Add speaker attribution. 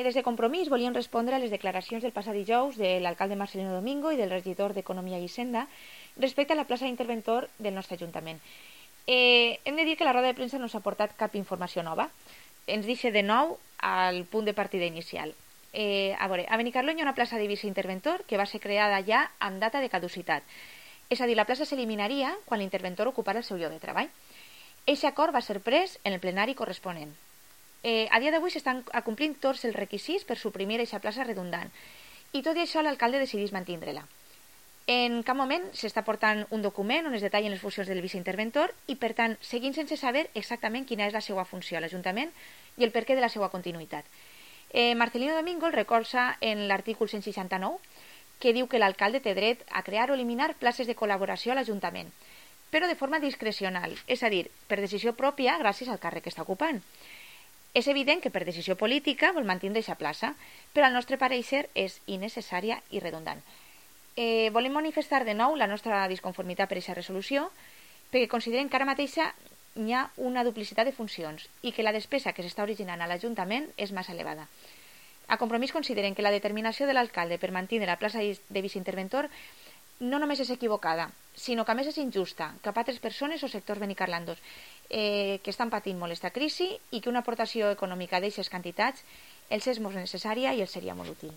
Speaker 1: Des de Compromís volien respondre a les declaracions del passat dijous de l'alcalde Marcelino Domingo i del regidor d'Economia i Hisenda respecte a la plaça d'interventor del nostre Ajuntament. Hem de dir que la roda de premsa no s'ha portat cap informació nova. Ens deixa de nou al punt de partida inicial. A veure, a Benicarló hi ha una plaça de viceinterventor que va ser creada ja amb data de caducitat. És a dir, la plaça s'eliminaria quan l'interventor ocupara el seu lloc de treball. Aquest acord va ser pres en el plenari corresponent. A dia d'avui s'estan acomplint tots els requisits per suprimir aquesta plaça redundant i tot i això l'alcalde decideix mantindre-la. En cap moment s'està portant un document on es detallen les funcions del viceinterventor i per tant seguim sense saber exactament quina és la seva funció a l'Ajuntament i el perquè de la seva continuïtat. Marcelino Domingo el recolza en l'artícul 169 que diu que l'alcalde té dret a crear o eliminar places de col·laboració a l'Ajuntament, però de forma discrecional, és a dir, per decisió pròpia gràcies al càrrec que està ocupant. És evident que per decisió política vol mantenir aquesta plaça, però al nostre pareixer és innecessària i redundant. Volem manifestar de nou la nostra disconformitat per aquesta resolució, perquè considerem que ara mateixa hi ha una duplicitat de funcions i que la despesa que s'està originant a l'Ajuntament és massa elevada. A Compromís considerem que la determinació de l'alcalde per mantenir la plaça de viceinterventor no només és equivocada, sinó que a més és injusta cap a altres persones o sectors benicarlandos que estan patint molt aquesta crisi i que una aportació econòmica d'aquestes quantitats els és molt necessària i els seria molt útil.